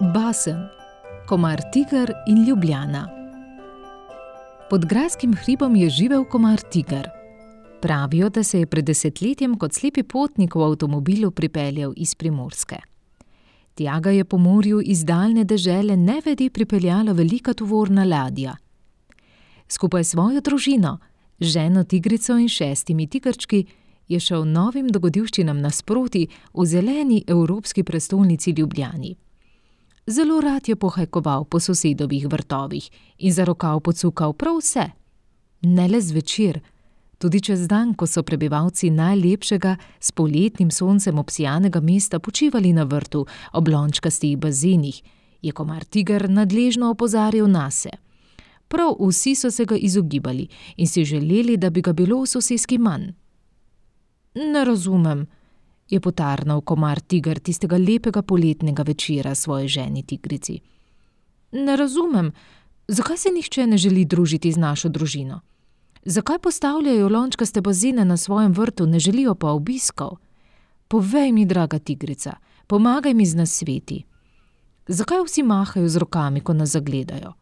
Basen, komar Tiger in Ljubljana. Pod grajskim hribom je živel komar Tiger. Pravijo, da se je pred desetletjem kot slepi potnik v avtomobilu pripeljal iz Primorske. Tja ga je po morju iz daljne dežele nevede pripeljala velika tovorna ladja. Skupaj s svojo družino, ženo tigrico in 6 tigrčki, je šel novim dogodivščinam nasproti v zeleni evropski prestolnici Ljubljani. Zelo rad je pohajkoval po sosedovih vrtovih in za rokav pocukal prav vse. Ne le zvečer, tudi čez dan, ko so prebivalci najlepšega s poletnim soncem obsijanega mesta počivali na vrtu ob lončkastih bazenih, je komar Tiger nadležno opozarjal nase. Prav vsi so se ga izogibali in si želeli, da bi ga bilo v soseski manj. Ne razumem, je potarnal komar Tiger tistega lepega poletnega večera svoji ženi tigrici. Ne razumem, zakaj se nihče ne želi družiti z našo družino? Zakaj postavljajo lončkaste bazene na svojem vrtu, ne želijo pa obiskov? Povej mi, draga tigrica, pomagaj mi z nasveti. Zakaj vsi mahajo z rokami, ko nas zagledajo?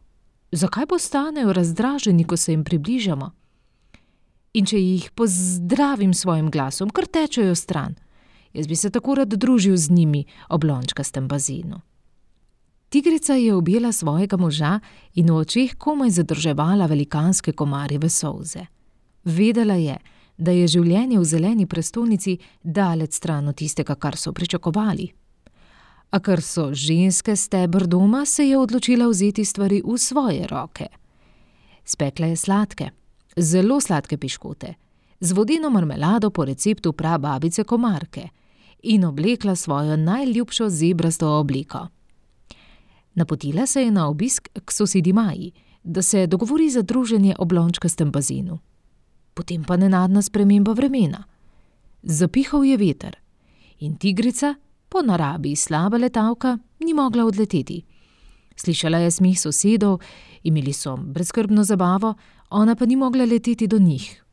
Zakaj postanejo razdraženi, ko se jim približamo? In če jih pozdravim svojim glasom, kar tečejo stran, jaz bi se tako rad družil z njimi ob lončkastem bazenu. Tigrica je objela svojega moža in v očeh komaj zadrževala velikanske komarjeve solze. Vedela je, da je življenje v zeleni prestolnici daleč stran od tistega, kar so pričakovali. A ker so ženske steber doma, se je odločila vzeti stvari v svoje roke. Spekla je sladke, zelo sladke piškote, z vodeno marmelado po receptu prababice Komarke in oblekla svojo najljubšo zebrasto obleko. Napotila se je na obisk k sosedi Maji, da se dogovori za druženje ob lončkastem bazenu. Potem pa nenadna sprememba vremena. Zapihal je veter in tigrica, po naravi slaba letalka, ni mogla odleteti. Slišala je smeh sosedov, imeli so brezskrbno zabavo, ona pa ni mogla leteti do njih.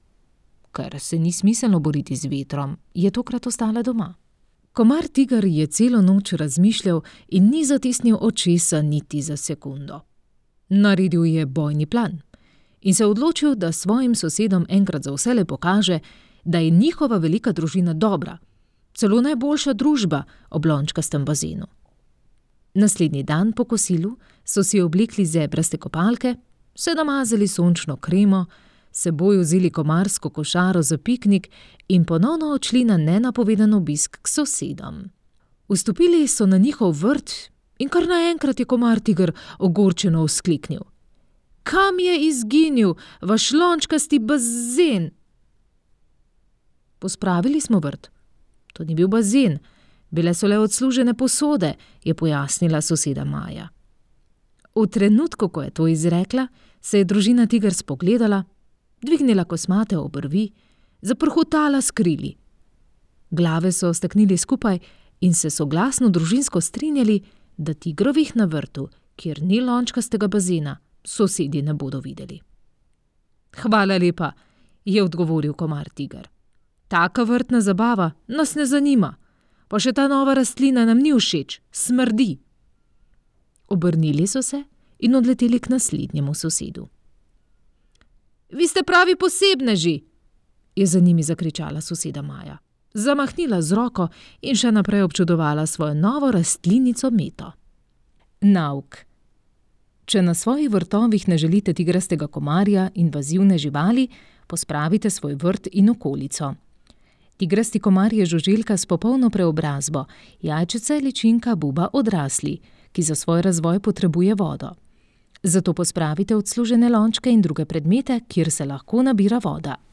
Ker se ni smiselno boriti z vetrom, je tokrat ostala doma. Komar Tiger je celo noč razmišljal in ni zatisnil očesa niti za sekundo. Naredil je bojni plan in se odločil, da svojim sosedom enkrat za vselej pokaže, da je njihova velika družina dobra, celo najboljša družba ob lončkastem bazenu. Naslednji dan po kosilu so si oblekli zebraste kopalke, se namazali sončno kremo, seboj vzeli komarsko košaro za piknik in ponovno odšli na nenapovedan obisk k sosedom. Vstopili so na njihov vrt in kar naenkrat je komar Tiger ogorčeno vzkliknil. Kam je izginil vaš lončkasti bazen? Pospravili smo vrt. To ni bil bazen, bile so le odslužene posode, je pojasnila soseda Maja. V trenutku, ko je to izrekla, se je družina Tiger spogledala, dvignila kosmate obrvi, zaprhutala s krili. Glave so staknili skupaj in se soglasno družinsko strinjali, da tigrovih na vrtu, kjer ni lončkastega bazena, sosedi ne bodo videli. Hvala lepa, je odgovoril komar Tiger. Taka vrtna zabava nas ne zanima, pa še ta nova rastlina nam ni všeč, smrdi. Obrnili so se in odleteli k naslednjemu sosedu. Vi ste pravi posebneži, je za njimi zakričala soseda Maja. Zamahnila z roko in še naprej občudovala svojo novo rastlinico meto. Nauk. Če na svojih vrtovih ne želite tigrastega komarja, invazivne živali, pospravite svoj vrt in okolico. Tigrasti komar je žuželka s popolno preobrazbo, jajčica, ličinka, buba odrasli, ki za svoj razvoj potrebuje vodo. Zato pospravite odslužene lončke in druge predmete, kjer se lahko nabira voda.